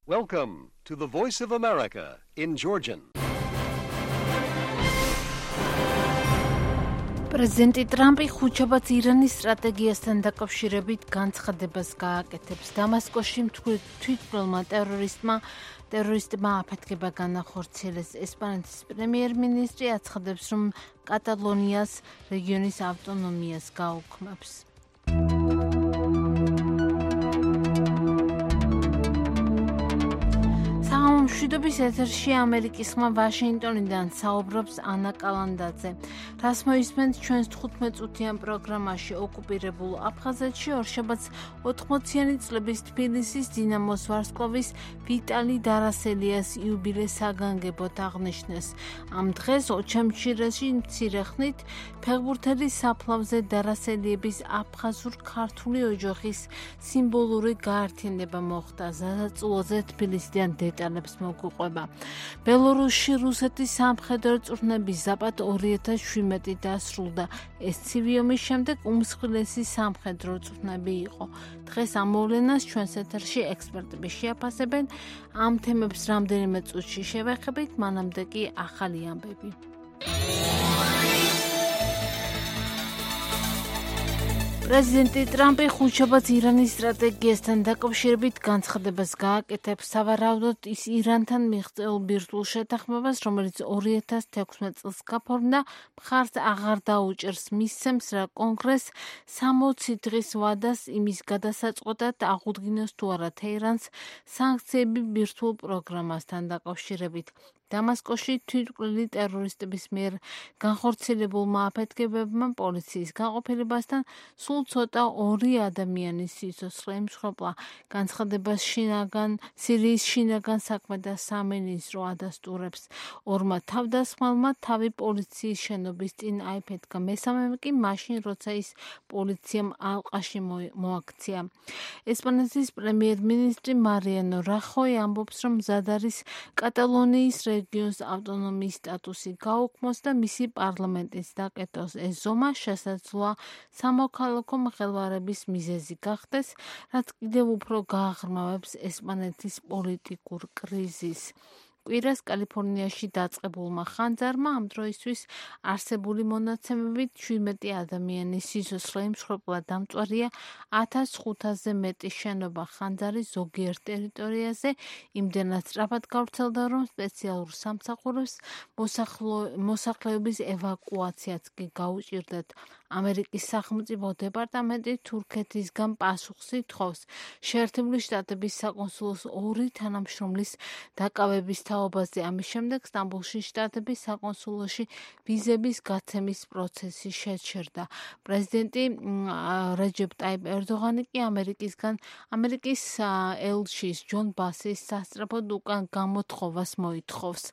Welcome to the Voice of America in Georgian. პრეზიდენტი ტრამპი ხუთშაბათს ირანის სტრატეგიასთან დაკავშირებით განცხადებას გააკეთებს. დამასკოში თვითმკვლელმა ტერორისტმა აფეთქება განახორციელეს. ესპანეთის პრემიერ-მინისტრი აცხადებს, რომ კატალონიას რეგიონის ავტონომიას გაუქმებს. მშვიდობის ეთერში ამერიკის ხმა ვაშინგტონიდან საუბრობს ანა კალანდაძე. რას მოისმენთ ჩვენს 15 წუთიან პროგრამაში ოკუპირებულ აფხაზეთში ორშაბათს 80-იანი წლების თბილისის დინამოს ვარსკვლავის ვიტალი დარასელიას იუბილეს საგანგებოდ აღნიშნეს. ამ დღეს ოჩამჩირაში მცირე ხნით ფეხბურთელის საფლავზე დარასელიების აფხაზურ-ქართული ოჯახის სიმბოლური გაერთიანება მოხდა. ზადაწულოზე თბილისიდან დეტალებს მოგუყვება. ბელორუსში რუსეთის სამხედრო წვრთნების ზაპად 2017 დასრულდა. ეს ცივი ომის შემდეგ უმსხვილესი სამხედრო წვრთნები იყო. დღეს ამ მოვლენას ჩვენს ეთერში ექსპერტები შეაფასებენ. ამ თემებს რამდენიმე წუთში შევეხებით, მანამდე კი ახალი ამბები. პრეზიდენტი ტრამპი ხუთშაბათს ირანის სტრატეგიასთან დაკავშირებით განცხადებას გააკეთებს. სავარაუდოდ ის ირანთან მიღწეულ ბირთვულ შეთანხმებას, რომელიც 2016 წელს გაფორმდა, მხარს აღარ დაუჭერს. მისცემს, რა კონგრესს 60 დღის ვადას იმის გადასაწყვეტად აღუდგინოს თუ არა თეირანს სანქციები ბირთვულ პროგრამასთან დაკავშირებით. დამასკოში თვითმკვლელი ტერორისტების მიერ განხორციელებულმა აფეთქებებმა პოლიციის განყოფილებასთან სულ ცოტა 2 ადამიანის სიცოცხლე იმსხვერპლა. განცხადებას სირიის შინაგან საქმეთა სამინისტრო ადასტურებს. 2 თავდასხმალმა თავი პოლიციის შენობის წინ აიფეთქა. მესამემ კი მაშინ, როცა ის პოლიციამ ალყაში მოაქცია. ესპანეთის პრემიერ-მინისტრი მარიანო რახოი ამბობს, რომ მზად არის კატალონიის რეგიონს ავტონომიის სტატუსი გაუქმოს და მისი პარლამენტის დაკეტოს. ეს ზომა შესაძლოა სამოქალაქო მღელვარების მიზეზი გახდეს, რაც კიდევ უფრო გააღრმავებს ესპანეთის პოლიტიკურ კრიზისს. კვირას კალიფორნიაში დაწყებულმა ხანძარმა ამ დროისთვის არსებული მონაცემებით 17 ადამიანის სიცოცხლე იმსხვერპლა. დამწვარია 1500-ზე მეტი შენობა. ხანძარი ზოგიერთ ტერიტორიაზე იმდენად სწრაფად გავრცელდა, რომ სპეციალურ სამსახურებს მოსახლეობის ევაკუაციაც კი გაუჭირდათ. ამერიკის სახელმწიფო დეპარტამენტი თურქეთისგან პასუხს ითხოვს. შეერთებული შტატების საკონსულოს 2 თანამშრომლის დაკავების თაობაზე. ამის შემდეგ სტამბოლში შტატების საკონსულოში ვიზების გაცემის პროცესი შეჩერდა. პრეზიდენტი რეჯეპ ტაიპ ერდოღანი კი ამერიკის ელჩის ჯონ ბასის სასწრაფოდ უკან გამოთხოვას მოითხოვს.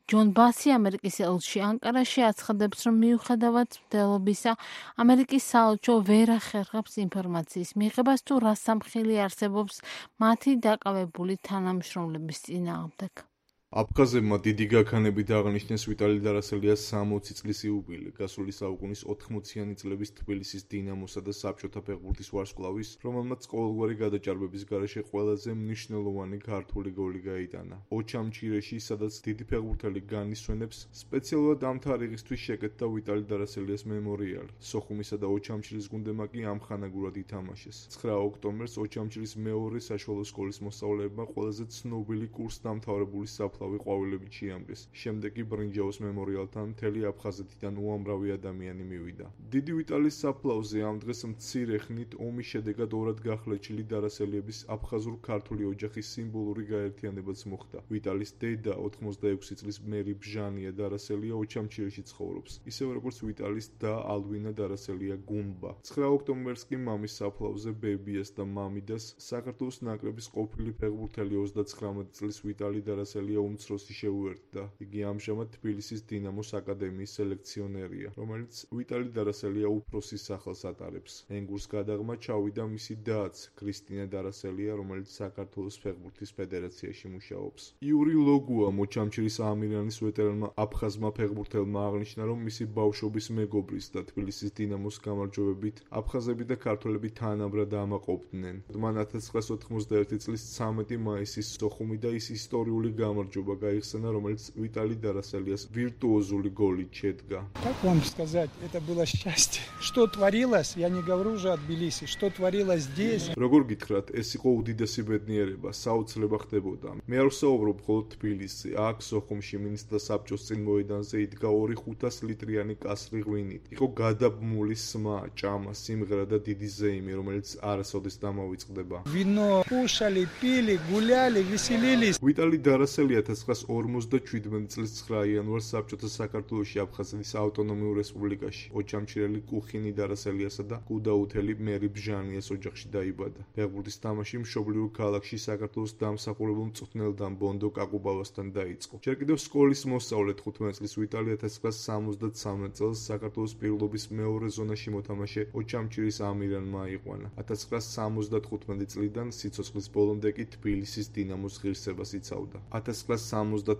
ჯონ ბასი ამერიკის ელჩი ანკარაში აცხადებს, რომ მიუხედავად მცდელობისა, ამერიკის საელჩო ვერ ახერხებს ინფორმაციის მიღებას თუ რა სამხილი არსებობს მათი დაკავებული თანამშრომლების წინააღმდეგ. აფხაზებმა დიდი გაქანებით აღნიშნეს ვიტალი დარასელიას 60 წლის იუბილე. გასული საუკუნის 80-იანი წლების თბილისის დინამოსა და საბჭოთა ფეხბურთის ვარსკვლავის, რომელმაც ყოველგვარი გადაჭარბების გარეშე ყველაზე მნიშვნელოვანი ქართული გოლი გაიტანა. ოჩამჩირეში, სადაც დიდი ფეხბურთელი განისვენებს, სპეციალურად ამ თარიღისთვის შეკეთდა ვიტალი დარასელიას მემორიალი. სოხუმისა და ოჩამჩირის გუნდებმა კი ამხანაგურად ითამაშეს. 9 ოქტომბერს ოჩამჩირის მეორე საშუალო სკოლის მოსწავლეებმა ყველაზე ცნობილი კურსდამთავრებული საფლავი ყვავილებით შეამგეს. შემდეგ კი ბრინჯაოს მემორიალთან მთელი აფხაზეთიდან უამრავი ადამიანი მივიდა. დიდი ვიტალის საფლავზე ამ დღეს მცირე ხნით ომის შედეგად ორად გახლეჩილი დარასელიების აფხაზურ-ქართული ოჯახის სიმბოლური გაერთიანებაც მოხდა. ვიტალის დედა 86 წლის მერი ბჟანია დარასელია ოჩამჩირეში ცხოვრობს. ისევე როგორც ვიტალის და ალვინა დარასელია გუმბა. 9 ოქტომბერს კი მამის საფლავზე ბებიას და მამიდას საქართველოს ნაკრების ყოფილი ფეხბურთელი 39 წლის ვიტალი დარასელია უმცროსი შეუერთდა. იგი ამჟამად თბილისის დინამოს აკადემიის სელექციონერია, რომელიც ვიტალი დარასელია უფროსის სახელს ატარებს. ენგურს გადაღმა ჩავიდა მისი დაც, კრისტინა დარასელია, რომელიც საქართველოს ფეხბურთის ფედერაციაში მუშაობს. იური ლოგუა, მოჩამჩირის ამირანის ვეტერანმა აფხაზმა ფეხბურთელმა აღნიშნა, რომ მისი ბავშვობის მეგობრის და თბილისის დინამოს გამარჯვებით აფხაზები და ქართველები თანაბრად ამაყობდნენ. მან 1991 წლის 13 მაისის სოხუმი და ის ისტორიული გამარჯვება გაიხსენა, რომელიც ვიტალი დარასელიას ვირტუოზული გოლით შედგა. Как вам сказать, это было счастье. Что творилось, я не говорю уже от Тбилиси, что творилось здесь. როგორ გითხრათ, ეს იყო უდიდესი ბედნიერება, საოცრება ხდებოდა. მე არ ვსაუბრობ მხოლოდ თბილისში, აქ სოხუმში მინისტრთა საბჭოს წინ მოედანზე იდგა 2-500 ლიტრიანი კასრი ღვინით. იყო გადაბმული სმა, ჭამა, სიმღერა და დიდი ზეიმი, რომელიც არასოდეს დამავიწყდება. Вино кушали, пили, гуляли, веселились. ვიტალი დარასელი 1957 წლის 9 იანვარს საბჭოთა საქართველოში აფხაზეთის ავტონომიურ რესპუბლიკაში ოჩამჩირელი კუხინი დარასელიასა და კუდაუთელი მერი ბჟანიას ოჯახში დაიბადა. ფეხბურთის თამაში მშობლიურ ქალაქში საქართველოს დამსახურებულ მწვრთნელთან ბონდო კაკუბავასთან დაიწყო. ჯერ კიდევ სკოლის მოსწავლე 15 წლის ვიტალი 1973 წელს საქართველოს პირობების მეორე ზონაში მოთამაშე ოჩამჩირის ამირანმა აიყვანა. 1975 წლიდან სიცოცხლის ბოლომდე კი თბილისის დინამოს ღირსებას იცავდა. 1976 და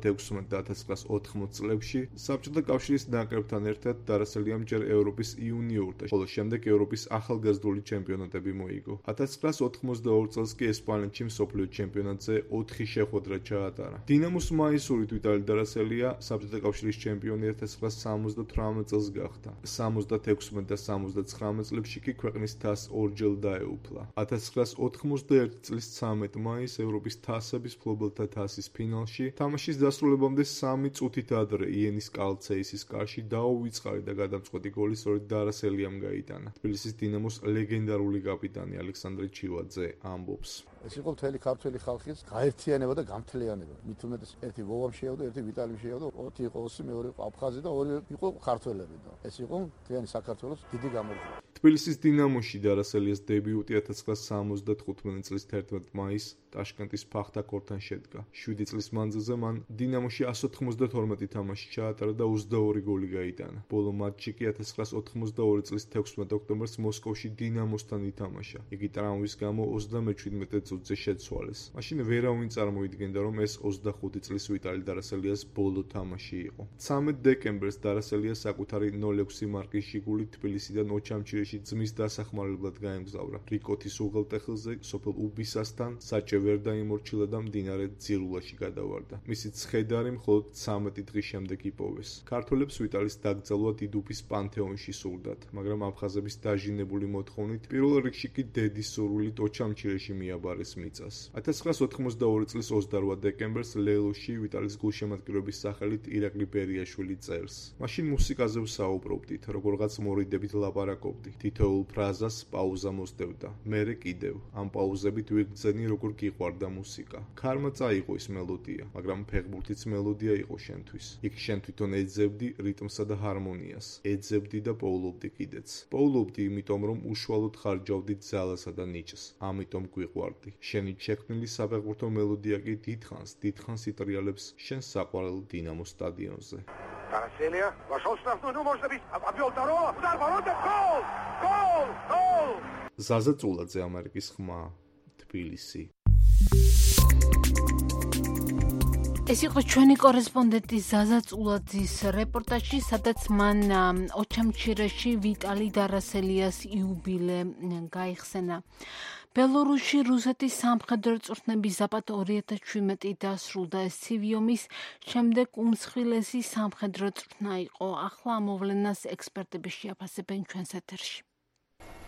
1980 წლებში საბჭოთა კავშირის ნაკრებთან ერთად დარასელიამ ჯერ ევროპის იუნიორთა, ხოლო შემდეგ ევროპის ახალგაზრდული ჩემპიონატები მოიგო. 1982 წელს კი ესპანეთში მსოფლიო ჩემპიონატზე 4 შეხვედრა ჩაატარა. დინამოს მაისურით ვიტალი დარასელია საბჭოთა კავშირის ჩემპიონი 1978 წელს გახდა. 76 და 79 წლებში კი ქვეყნის თასს ორჯერ დაეუფლა. 1991 წლის 13 მაისს ევროპის თასების მფლობელთა თასის ფინალში თამაშის დასრულებამდე 3 წუთით ადრე იენის კალცეისის კარში დაუვიწყარი და გადამწყვეტი გოლი სწორედ დარასელიამ გაიტანა. თბილისის დინამოს ლეგენდარული კაპიტანი ალექსანდრე ჩივაძე ამბობს. ეს იყო მთელი ქართველი ხალხის გაერთიანება და გამთლიანება. მით უმეტეს ერთი ვოვამ შეავდა, ერთი ვიტალიმ შეავდა, 4 იყო ოსი, მეორე იყო აფხაზი და 2 იყო ქართველები და ეს იყო მთლიანი საქართველოს დიდი გამარჯვება. თბილისის დინამოში დარასელიას დებიუტი 1975 წლის 11 მაისს ტაშკენტის ფახთაქორთან შედგა. 7 წლის მანძილზე მან დინამოში 192 თამაში ჩაატარა და 22 გოლი გაიტანა. ბოლო მატჩი კი 1982 წლის 16 ოქტომბერს მოსკოვში დინამოსთან ითამაშა. იგი ტრამვის გამო 37 წუთზე შეცვალეს. მაშინ ვერავინ წარმოიდგენდა, რომ ეს 25 წლის ვიტალი დარასელიას ბოლო თამაში იყო. 13 დეკემბერს დარასელია საკუთარი 06 მარკის ჟიგულით თბილისიდან ოჩამჩირეში ძმის დასახმარებლად გაემგზავრა. რიკოთის უღელტეხილზე სოფელ უბისასთან საჭე ვერ დაიმორჩილა და მდინარე ძირულაში გადავარდა. მისი ცხედარი მხოლოდ 13 დღის შემდეგ იპოვეს. ქართველებს ვიტალის დაკრძალვა დიდუფის პანთეონში სურდათ, მაგრამ აფხაზების დაჟინებული მოთხოვნით პირველ რიგში კი დედის სურვილით ოჩამჩირეში მიაბარეს მიწას. 1982 წლის 28 დეკემბერს ლელოში ვიტალის გულშემატკივრების სახელით ირაკლი ბერიაშვილი წერს. მაშინ მუსიკაზე ვსაუბრობდით, როგორღაც მორიდებით ლაპარაკობდი. თითოეულ ფრაზას პაუზა მოსდევდა. მერე კიდევ ამ პაუზებით ვიგრძენი როგორ გიყვარდა მუსიკა. ქარმა წაიღო ის მელოდია, მაგრამ ფეხბურთიც მელოდია იყო შენთვის. იქ შენ თვითონ ეძებდი რიტმსა და ჰარმონიას. ეძებდი და პოულობდი კიდეც. პოულობდი იმიტომ, რომ უშუალოდ ხარჯავდი ძალასა და ნიჭს. ამიტომ გვიყვარდი. შენი შექმნილი საფეხბურთო მელოდია კი დიდხანს იტრიალებს შენ საყვარელ დინამოს სტადიონზე. Дaraселия вошел в штрафную, ну может быть, обвел второго, удар ворота, гол! Гол! Гол! ზაზა წულაძე, ამერიკის ხმა, თბილისი. ეს იყო ჩვენი კორესპონდენტი ზაზა წულაძის რეპორტაჟი, სადაც მან ოჩამჩირეში ვიტალი დარასელიას იუბილე გაიხსენა. ბელორუსში რუსეთის სამხედრო წვრთნების ზაპად 2017 დასრულდა. ეს ცივი ომის შემდეგ უმსხვილესი სამხედრო წვრთნა იყო. ახლა ამოვლენას ექსპერტები შეაფასებენ ჩვენს ეთერში.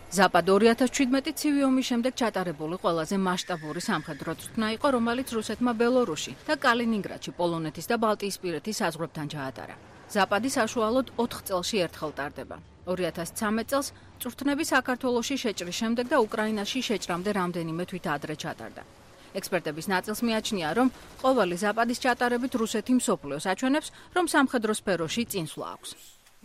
ზაპად 2017 ცივი ომის შემდეგ ჩატარებული ყველაზე მასშტაბური სამხედრო წვრთნა იყო, რომელიც რუსეთმა ბელორუსში და კალინინგრადში პოლონეთის და ბალტიისპირეთის საზღვრებთან ჩაატარა. ზაპადი საშუალოდ 4 წელში ერთხელ ტარდება. 2013 წელს წვრთნები საქართველოში შეჭრის შემდეგ და უკრაინაში შეჭრამდე რამდენიმე თვით ადრე ჩატარდა. ექსპერტების ნაწილს მიაჩნია, რომ ყოველი ზაპადის ჩატარებით რუსეთი მსოფლიოს აჩვენებს, რომ სამხედრო სფეროში წინსვლა აქვს.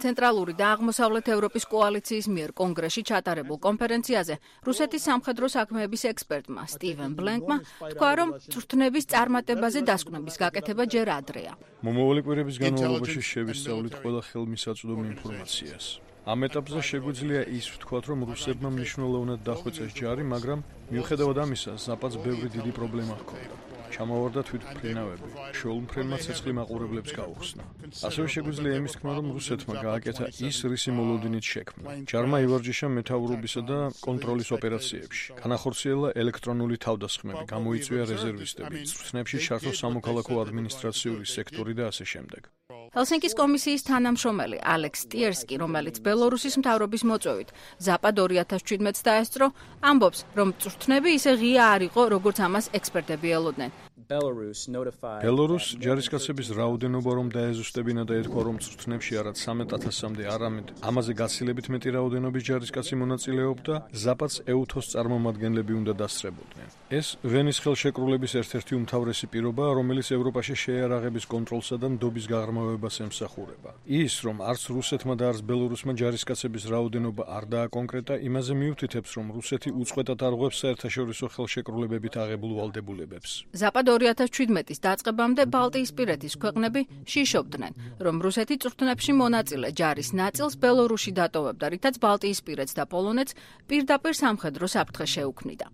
ცენტრალური და აღმოსავლეთ ევროპის კოალიციის მიერ კონგრესში ჩატარებულ კონფერენციაზე რუსეთის სამხედრო საქმეების ექსპერტმა სტივენ ბლენკმა თქვა, რომ წვრთნების წარმატებაზე დასკვნების გაკეთება ჯერ ადრეა. მომავალი კვირების განმავლობაში შევისწავლით ყველა ხელმისაწვდომი ინფორმაციას. ამ ეტაპზე შეგვიძლია ის ვთქვათ, რომ რუსებმა მნიშვნელოვნად დახვეწეს ჯარი, მაგრამ მიუხედავად ამისა, ზაპადს ბევრი დიდი პრობლემა ჰქონდა. ჩამოვარდა თვითმფრინავები, შეულმფრენმა ცეცხლი მაყურებლებს გაუხსნა. ასევე შეგვიძლია იმის თქმა, რომ რუსეთმა გააკეთა ის რისი მოლოდინით შექმნა. ჯარმა ივარჯიშა მეთაურობისა და კონტროლის ოპერაციებში. განახორციელა ელექტრონული თავდასხმები, გამოიწვია რეზერვისტები, წვრთნებში ჩართო სამოქალაქო ადმინისტრაციული სექტორი და ასე შემდეგ. ჰელსინკის კომისიის თანამშრომელი ალექს ტიერსკი, რომელიც ბელორუსის მთავრობის მოწვევით ზაპად 2017-ს დაესწრო, ამბობს, რომ წვრთნები ისე ღია არ იყო, როგორც ამას ექსპერტები ელოდნენ. ბელორუს ჯარისკაცების რაოდენობა რომ დაეზუსტებინა და ეთქვა, რომ წვრთნებში არა 13,000-მდე, არამედ ამაზე გაცილებით მეტი რაოდენობის ჯარისკაცი მონაწილეობდა, ზაპადს ეუთოს წარმომადგენლები უნდა დასწრებოდნენ. ეს ვენის ხელშეკრულების ერთ-ერთი უმთავრესი პირობაა, რომელიც ევროპაში შეიარაღების კონტროლსა და ნდობის გაღრმავებას ემსახურება. ის, რომ არც რუსეთმა და არც ბელორუსმა ჯარისკაცების რაოდენობა არ დააკონკრეტა, იმაზე მიუთითებს, რომ რუსეთი უწყვეტად არღვევს საერთაშორისო ხელშეკრულებებით აღებულ ვალდებულებებს. ზაპად 2017-ის დაწყებამდე ბალტიისპირეთის ქვეყნები შიშობდნენ, რომ რუსეთი წვრთნებში მონაწილე ჯარის ნაწილს ბელორუსში დატოვებდა, რითაც ბალტიისპირეთს და პოლონეთს პირდაპირ სამხედრო საფრთხე შეუქმნიდა.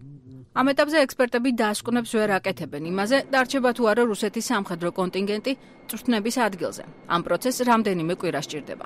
ამ ეტაპზე ექსპერტები დასკვნებს ვერ აკეთებენ იმაზე, დარჩება თუ არა რუსეთის სამხედრო კონტინგენტი წვრთნების ადგილზე. ამ პროცესს რამდენიმე კვირა სჭირდება.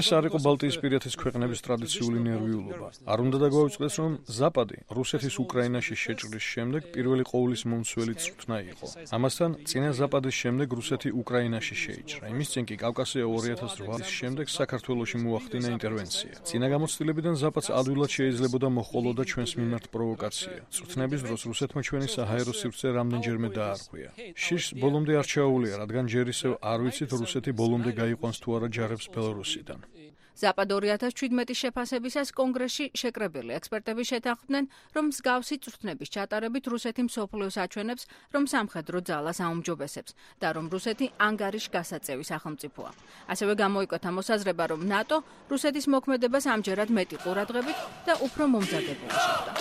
ეს არ იყო ბალტიისპირეთის ქვეყნების ტრადიციული ნერვიულობა. არ უნდა დაგვაუწყდეს, რომ ზაპადი რუსეთის უკრაინაში შეჭრის შემდეგ პირველი ყოვლის მომცველი წვრთნა იყო. ამასთან, წინა ზაპადის შემდეგ რუსეთი უკრაინაში შეიჭრა. იმის წინ კი კავკასია 2008 შემდეგ საქართველოში მოახდინა ინტერვენცია. წინა გამოცდილებიდან ზაპადს ადვილად შეიძლებოდა მოჰყოლოდა ჩვენს მიმართ პროვოკაცია. წვრთნების დროს რუსეთმა ჩვენი საჰაერო სივრცე რამდენჯერმე დაარღვია. შიშს ბოლომდე არ ჩაუვლია, რადგან ჯერ ისევ არ ვიცით რუსეთი ბოლომდე გაიყვანს თუ არა ჯარებს ბელორუსიდან. ზაპად 2017-ის შეფასებისას კონგრესში შეკრებილი ექსპერტები შეთანხმდნენ, რომ მსგავსი წვრთნების ჩატარებით რუსეთი მსოფლიოს აჩვენებს, რომ სამხედრო ძალას აუმჯობესებს და რომ რუსეთი ანგარიშ გასაწევი სახელმწიფოა. ასევე გამოიკვეთა მოსაზრება, რომ ნატო რუსეთის მოქმედებას ამჯერად მეტი ყურადღებით და უფრო მომზადებული შეხვდა.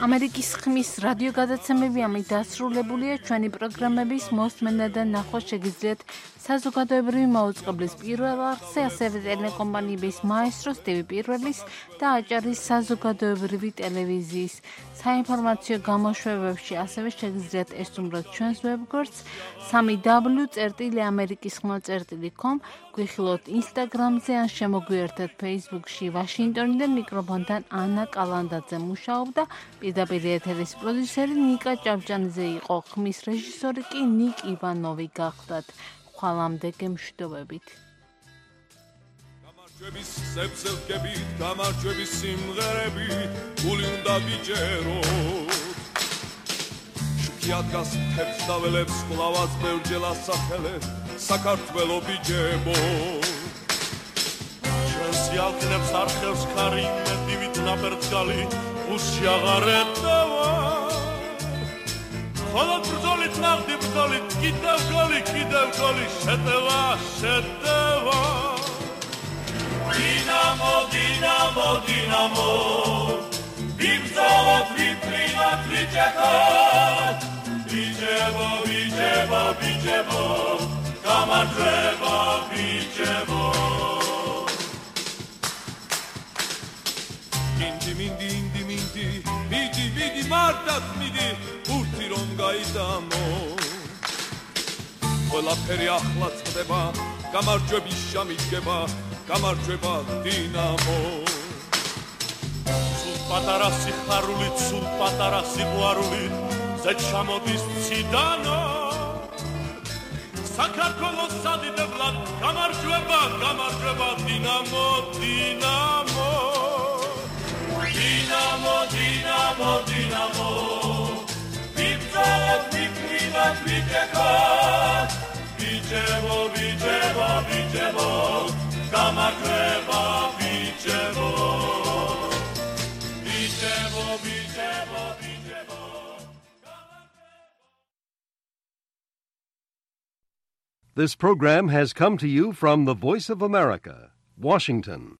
ამერიკის ხმის რადიო გადაცემები ამით დასრულებულია. ჩვენი პროგრამების მოსმენა და ნახვა შეგიძლიათ საზოგადოებრივი მაუწყებლის პირველ არხზე, ასევე ტელეკომპანიების მაესტროს TV პირველის და აჭარის საზოგადოებრივი ტელევიზიის საინფორმაციო გამოშვებებში. ასევე შეგიძლიათ ესტუმროთ ჩვენს ვებგვერდს www.amerikiskhma.com, გვიხილოთ ინსტაგრამზე ან შემოგვიერთეთ Facebook-ში. ვაშინგტონიდან მიკროფონთან ანა კალანდაძე მუშაობდა. პირდაპირ ეთერის პროდიუსერი ნიკა ჭავჭანიძე იყო, ხმის რეჟისორი კი ნიკ ივანოვი გახლდათ. ხვალამდე გემშვიდობებით. გამარჯვების სებზე ვგებით, გამარჯვების სიმღერები, გული უნდა ვიჯეროთ. შუქიად გასთებს და ველებს ყლავას ბევრჯერ ასახელებ, საქართველო ბიჯებო. ჩვენს ალყნებს არხევს ხარი, მედივით ნაბერძგალი, უსში აღარ ეტევა. ხოლო ბრძოლით ნახდი ბრძოლით, კიდევ გოლი, შეტევა, შეტევა. დინამო, დინამო, დინამო, ვიბრძოლოთ, ვიფრინოთ, ვიჭეხოთ. ვიჭებო, ვიჭებო, ვიჭებო, გამარჯვება ვიჭებო. მიდი მარტად მიდი, ურთი რომ გაიდამო. ყველაფერი ახლა წდება, გამარჯვების ჟამი დგება, გამარჯვება დინამო. სულ პატარა სიხარული, სულ პატარა სიყვარული, ზე ჩამოდის ციდანო. საქართველოს სადიდებლად, გამარჯვება, გამარჯვება დინამო, დინამო. დინამო, დინამო, დინამო, ვიბრძოლოთ, ვიფრინოთ, ვიჭეხოთ. ვიჭებო, ვიჭებო, ვიჭებო, გამარჯვება ვიჭებო. ვიჭებო, ვიჭებო, ვიჭებო. This program has come to you from the Voice of America, Washington.